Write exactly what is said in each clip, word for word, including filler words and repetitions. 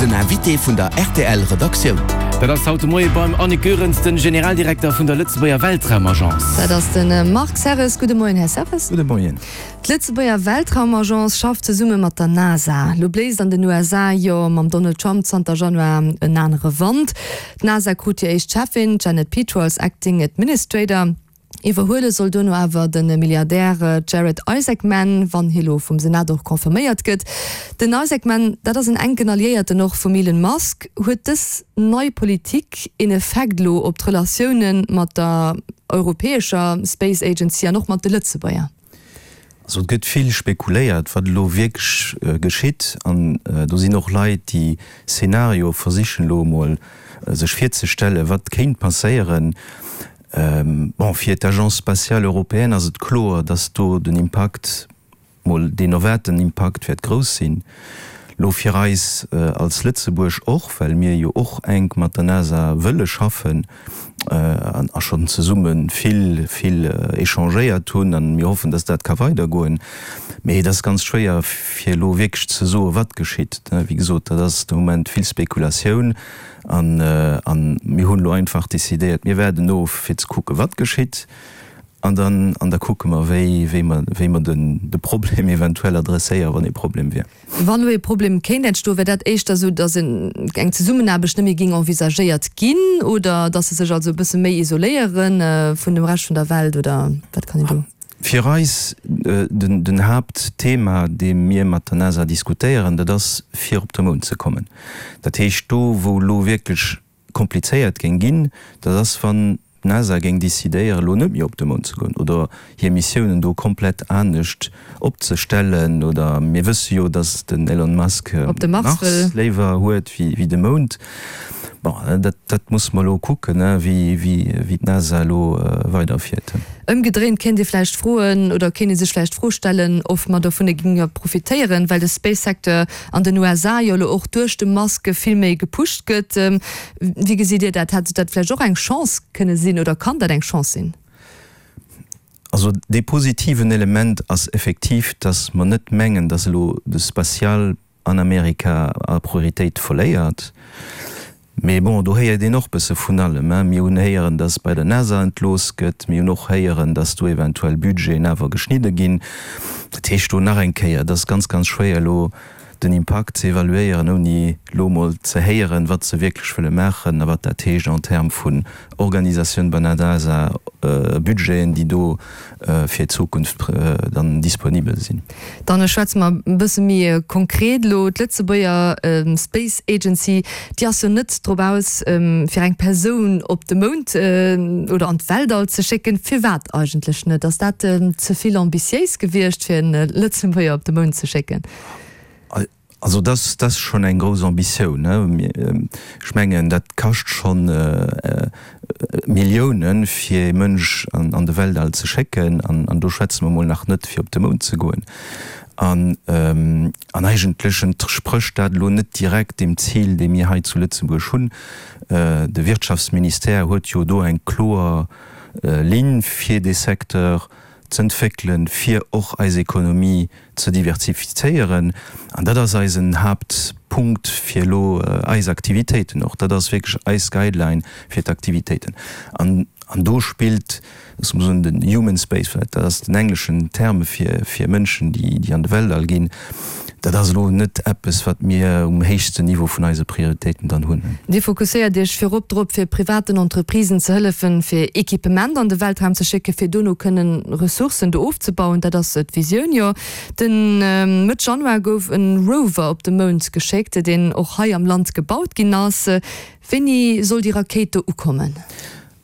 Den Invité vun der R T L Redaktioun. Dat ass haut de Moie beim Annick Goerens, den Generaldirekter vun der Lëtzebuerger Weltraumagence. Dat ass den Marc Serres. Gudde Moien, Här Serres. Gudde Moien. D'Lëtzebuerger Weltraumagence schafft zesumme mat der NASA. Lo bléist an den U S A jo mam Donald Trump zanter Januar en anere Wand. D'NASA krut hir éischt Chefin, Janet Petro, als Acting Administrator. Iwwerhuele soll duerno awer de Milliardär Jared Isaacman, wann hie lo vum Senat och confirméiert gëtt. Den Isaacman, dat ass en enken Alliéierten och vum Elon Musk. Huet dës nei Politik en Effekt lo op d'Relatioune mat der europäescher Space Agency an och mat de Lëtzebuerger? Also et gëtt vill spekuléiert, wat elo wierklech geschitt, an do sinn och Leit, déi Szenarioe versichen elo emol sech virzestellen, wat kéint passéieren. Bon, fir d'Agence spatiale européenne ass et kloer, dass do den Impakt, mol deen erwaarten Impakt wäert grouss sinn. Lo fir eis als Lëtzebuerg och, well mir jo och enk mat der NASA wëlle schaffen a schonn zesumme vill, vill échangéiert hunn, a mir hoffen, dass dat ka weidergoen. Mee et ass ganz schwéier fir elo wierklech ze soen, wat geschitt. Wéi gesot, dat ass de Moment vill Spekulatioun. An an mir hunn elo einfach decidéiert, mir waarden of fir ze kucken, wat geschitt, an dann an da kucke mer, wéi wéi mer wéi mer den de Problem eventuell adresséieren, wann e Problem wier. Wann elo e Problem kéint entstoen, wär dat éischter esou, datt en eng Zesummenaarbecht net méi géing envisagéiert ginn oder datt se sech also e bësse méi isoléiere vun dem Rescht vun der Welt, oder wat kann een do? Fir eis den den Haaptthema, dee mir mat der NASA diskutéieren, dat ass fir op de Mound ze kommen. Dat heescht, do wou elo wierklech komplizéiert géing ginn, dat ass wann d'NASA géing decidéieren, elo net méi op de Mound ze goen oder hir Missiounen do komplett anescht opzestellen, oder mir wësse jo, datt den Elon Musk op de Mars wëll. Léiwer huet wéi wéi de Mound. Bon, dat dat musse mer elo kucken, wéi wéi wéi d'NASA elo weiderfiert. Ëmgedréint kéint Dir vläicht froen oder kéint ee sech vläicht d'Fro stellen, ob mer dovunner géinge profitéieren, well de Space-Secteur an den U S A jo elo och duerch de Musk vill méi gepusht gëtt. Wéi gesitt Dir dat? Hätt dat vläicht och eng Chance kënne sinn oder kann dat eng Chance sinn? Also dee positiven Element ass effektiv, datt mer net mengen, datt elo de Spatial an Amerika a Prioritéit verléiert. Mee bon, do héiert een och bësse vun allem. Mir hunn héieren, datt bei der NASA entlooss gëtt. Mir hunn och héieren, datt do eventuell Budgeten awer geschnidde ginn. Dat heescht do nach eng Kéier, et ass ganz, ganz schwéier elo den Impakt ze evaluéieren, ouni elo mol ze héieren, wat se wierklech wëlle maachen a wat dat heescht en termes vun Organisatioun bei der NASA, Budgeten, déi do fir d'Zukunft dann disponibel sinn. Dann schwätze mer e bësse méi konkret elo. D'Lëtzebuerger Space Agency, déi ass jo net drop aus, fir eng Persoun op de Mound oder an d'Weltall ze schécken. Firwat eigentlech net? Ass dat ze vill ambitiéis gewiescht, fir en Lëtzebuerger op de Mound ze schécken? Also dat dat ass schonn eng grouss Ambitioun. Ech mengen, dat kascht schonn Milliounen, fir ee Mënsch an an de Weltall ze schécken, an an do schwätze mer mol nach net fir op de Mound ze goen. An an eigentlech entsprécht dat elo net direkt deem Zil, dee mir hei zu Lëtzebuerg hunn. De Wirtschaftsministère huet jo do eng kloer Linn fir dee Secteur z'entwéckelen, fir och eis Ekonomie ze diversifizéieren, an dat ass eisen Haaptpunkt fir elo eis Aktivitéiten och. Dat ass wierklech eis Guideline fir d'Aktivitéiten. An an do spillt soen den Human Space Flight, dat ass den engleschen Terme fir fir Mënschen, déi déi an de Weltall ginn, dat ass elo net eppes, wat mir um héchsten Niveau vun eise Prioritéiten dann hunn. Dir fokusséiert Iech virop drop, fir privaten Entreprisen ze hëllefen, fir Equipement an de Weltraum ze schécken, fir dono kënnen Ressourcen do ofzebauen. Dat ass d'Visioun, jo. Den Mëtt Januar gouf e Rover op de Mound geschéckt, deen och hei am Land gebaut ginn ass. Wéini soll déi Rakéit do ukommen?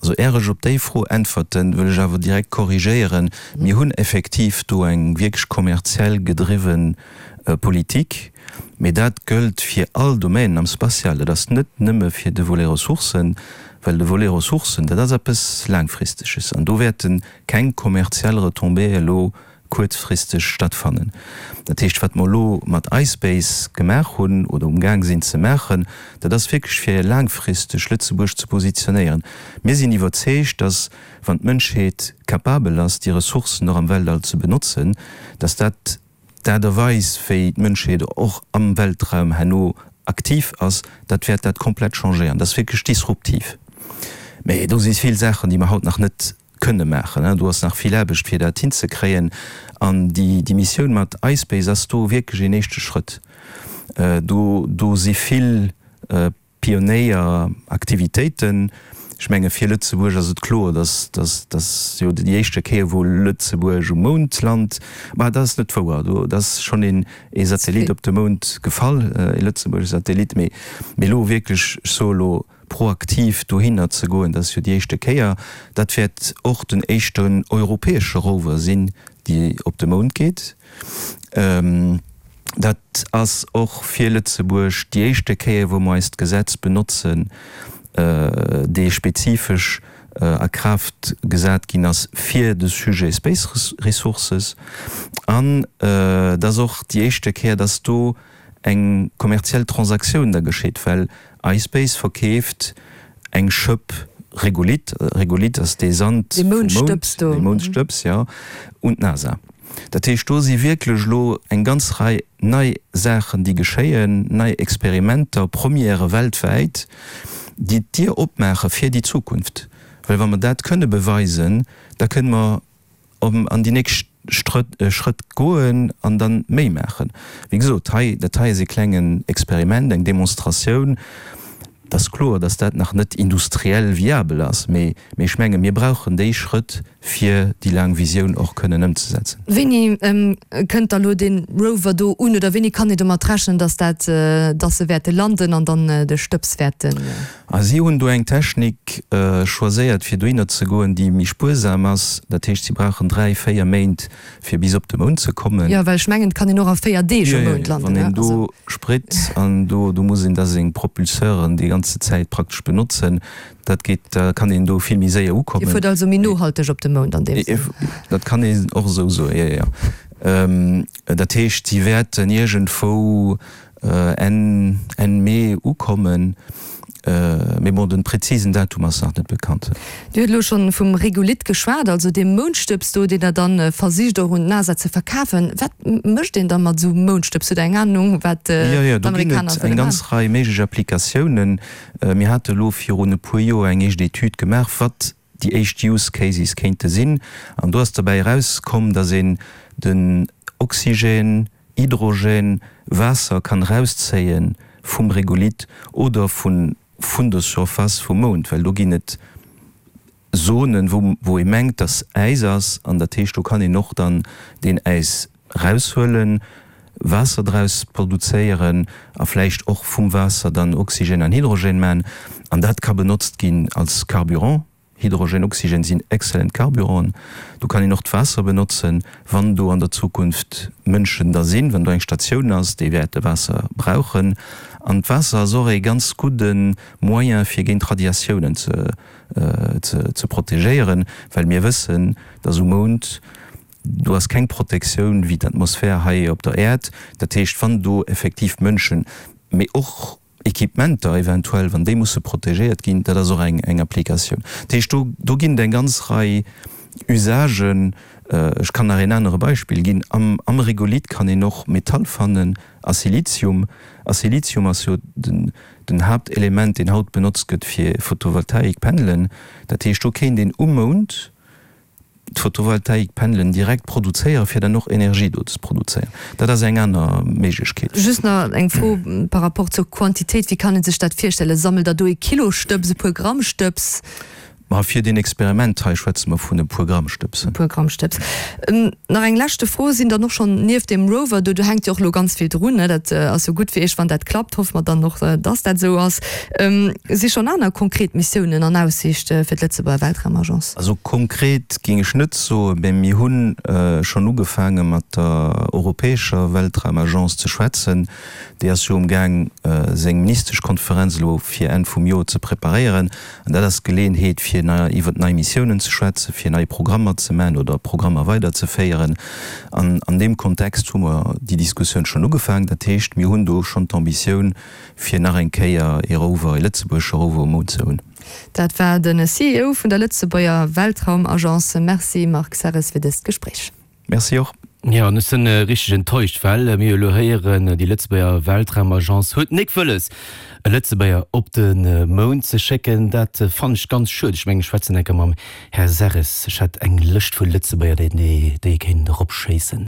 Also éier ech op déi Fro äntwerten, wëll ech awer direkt korrigéieren, Mir hunn effektiv do eng wierklech kommerziell gedriwwe Politik, mee dat gëllt fir all Domainen am Spatial. Dat ass net nëmme fir de Volet Ressourcen, well de Volet Ressourcen, dat ass eppes Laangfristeges an do wäerte keng kommerziell Retombéeë elo kuerzfristeg stattfannen. Dat heescht, wat mer elo mat iSpace gemaach hunn oder umgaang sinn ze maachen, dat ass wierklech fir laangfristeg Lëtzebuerg ze positionéieren. Mir sinn iwwerzeegt, dass, wann d'Mënschheet capabel ass, déi Ressourcen och am Weltall ze benotzen, dass dat d'Aart a Weis, wéi d'Mënschheet och am Weltraum herno aktiv ass, dat wäert dat komplett changéieren. Dat ass wierklech disruptiv. Mee do si vill Saachen, déi mer haut nach net kënne maachen. Do ass nach vill Aarbecht, fir dat hinzekréien. An déi déi Missioun mat iSpace ass do wierklech een éischte Schrëtt. Do do si vill Pionéieraktivitéiten. Ech menge fir Lëtzebuerg ass et kloer, dass dass dass jo déi éischte Kéier wou Lëtzebuerg um Mound lant, bah dat ass net wouer, do dat ass schonn een ee Satellit op de Mound gefall, ee lëtzebuergesche Satellit, mee mee elo wierklech, ech soe elo proaktiv dohinner ze goen, dat ass jo déi éischte Kéier. Dat wäert och den éischten europäesche Rover sinn, déi op de Mound geet. Dat ass och fir Lëtzebuerg déi éischte Kéier, wou mer eist Gesetz benotzen, dee spezifesch a Kraaft gesat ginn ass fir de Sujet Space Resources. An et ass och déi éischte Kéier, dass do eng kommerziell Transaktioun da geschitt, well iSpace verkeeft eng Schëpp Regolith, Regolith ass dee Sand vum Mound, dee Moundstëbs, jo, un d'NASA. Dat heescht, do si wierklech elo eng ganz Rei nei Saachen, déi geschéien, nei Experimenter, Premièrë weltwäit, déi d'Dier opmaache fir déi Zukunft. Well wa mer dat kënne beweisen, da kënne mer an déi nächst Schrëtt goen an da méi maachen. Wéi gesot, hei, dat hei ass e klengen Experiment, eng Demonstratioun. Et ass kloer, dass dat nach net industriell viabel ass, mee ech menge mir brauchen déi Schrëtt, fir déi laang Visioun och kënnen ëmzesetzen. Wéini kënnt da lo dee Rover do un oder wéini kann ee domat rechnen, dass dat, dass se wäerte landen an dann de Stëbs wäerten? A si hunn do eng Technik choiséiert, fir dohinner ze goen, déi méi spuersam ass. Dat heescht, si brauchen dräi, véier Méint, fir bis op de Mound ze kommen. Jo, well ech mengen, et kann een och a véier Deeg um Mound landen. Wann een do Sprit an do, do muss een da seng Propulseuren déi ganze Zäit praktesch benotzen, dat geet, da kann een do vill méi séier ukommen. Dir fuert also méi nohalteg op de Mound an deem Sënn? Dat kann een och esou soen, jo, jo. Dat heescht, si wäerten iergendwou Enn, Enn Mee ukommen. Mee bon, den präzisen Datum ass nach net bekannt. Dir hutt elo schonn vum Regolith geschwat, also deem Moundstëbs do, deen Der dann versicht och un d'NASA ze verkafen. Wat mécht een da mat esou Moundstëbs? Hutt Der eng Anung, wat Jo, jo, do ginn d'Amerikaner et wëlle eng ganz maachen? Rei méiglech Applikatiounen. Mir hate elo virun e puer Joer eng éischt Etüd gemaach, wat déi éischt Use Cases kéinte sinn. An do ass derbäi erauskomm, datt een den Oxygène, Hydrogène, Waasser kann erauszéie vum Regolith oder vun vun der Surface vum Mound, well do ginn et Zonen, wou wou ee mengt, dass Äis ass, an dat heescht, do kann een och dann deen Äis eraushuelen, Waasser draus produzéieren a vläicht och vum Waasser dann Oxygène an Hydrogène man, an dat ka benotzt ginn als Carburant. Hydrogen, Oxygen sinn exzellent Carburanten. Do kann een och d'Waasser benotzen, wann do an der Zukunft Mënschen da sinn, wann do eng Statioun ass, déi wäerte Waasser brauchen. An d'Waasser ass och ee ganz gudde Moyen, fir géint Radiatiounen ze ze protegéieren, well mir wëssen, dass um Mound, do ass keng Protektioun wéi d'Atmosphär hei op der Äerd. Dat heescht, wann do effektiv Mënschen, mee och Equipementer eventuell, wann déi musse protegéiert ginn, dat ass och eng eng Applikatioun. Dat heescht, do do ginn et eng ganz Rei Usagen. Ech kann nach een anere Beispill ginn, Am am Regolith kann een och Metall fannen a Silizium. A Silizium ass jo den den Haaptelement, deen haut benotzt gëtt fir Photovoltaikpanelen. Dat heescht, do kéint een um Mound d'Photovoltaikpanelen direkt produzéieren, fir dann och Energie do ze produzéieren. Dat ass eng aner Méiglechkeet. Just nach eng Fro par rapport zur Quantitéit, Wéi kann ee sech dat virstellen? Sammelt Der do ee Kilo Stëbs, e puer Gramm Stëbs? Ma fir deen Experiment hei schwätze mer vun e puer Gramm Stëbs. E puer Gramm Stëbs. Nach eng leschte Fro, Sinn dann och schonn nieft deem Rover do, do hänkt jo och elo ganz vill drun, ne, dat ass jo gutt fir Iech, wann dat klappt, hoffe mer dann och, dass dat esou ass, si schonn aner konkret Missiounen an Aussiicht fir d'Lëtzebuerger Weltraumagence? Also konkret géing ech net soen, mä mir hu schonn ugefaange mat der europäescher Weltraumagence ze schwätzen. Déi ass jo umgaang seng Ministeschkonferenz elo fir Enn vum Joer ze preparéieren. An dat ass d'Geleeënheet fir iwwert nei Missiounen ze schwätzen, fir nei Programmer ze man oder Programmer weiderzeféieren. An an deem Kontext hu mer déi Diskussioun schonn ugefaangen. Dat heescht, mir hunn do schonn d'Ambitioun fir nach eng Kéier ee Rover, ee lëtzebuergesche Rover um Mound ze hunn. Dat war de C E O vun der Lëtzebuerger Weltraumagence. Merci Marc Serres fir dëst Gespréich. Merci och. Jo, an ech sinn richteg enttäuscht, well mir elo héieren, déi Lëtzebuerger Weltraumagence huet nik wëlles, e Lëtzebuerger op de Mound ze schécken. Dat fannen ech ganz schued. Ech mengen, ech schwätzen enker mam Här Serres. Ech hätt eng Lëscht vu Lëtzebuerger, déi déi ee kéint eropschéissen.